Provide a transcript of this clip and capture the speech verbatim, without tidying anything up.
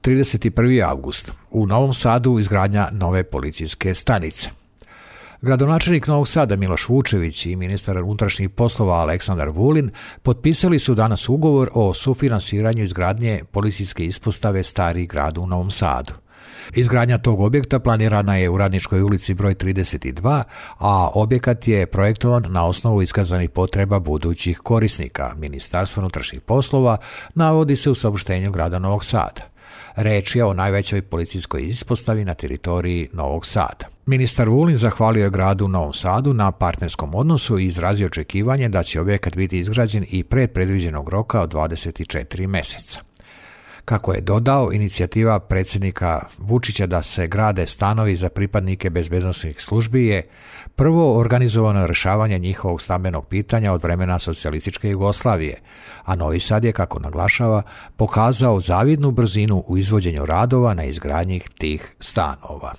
trideset prvi avgust. U Novom Sadu izgradnja nove policijske stanice. Gradonačelnik Novog Sada Miloš Vučević i ministar unutrašnjih poslova Aleksandar Vulin potpisali su danas ugovor o sufinansiranju izgradnje policijske ispostave Stari grad u Novom Sadu. Izgradnja tog objekta planirana je u Radničkoj ulici broj trideset dva, a objekat je projektovan na osnovu iskazanih potreba budućih korisnika. Ministarstvo unutrašnjih poslova navodi se u saopštenju grada Novog Sada. Reč je o najvećoj policijskoj ispostavi na teritoriji Novog Sada. Ministar Vulin zahvalio je gradu Novom Sadu na partnerskom odnosu i izrazio očekivanje da će objekat biti izgrađen i pre predviđenog roka od dvadeset četiri meseca. Kako je dodao, inicijativa predsjednika Vučića da se grade stanovi za pripadnike bezbednosnih službi je prvo organizovano rješavanje njihovog stambenog pitanja od vremena socijalističke Jugoslavije, a Novi Sad je, kako naglašava, pokazao zavidnu brzinu u izvođenju radova na izgradnji tih stanova.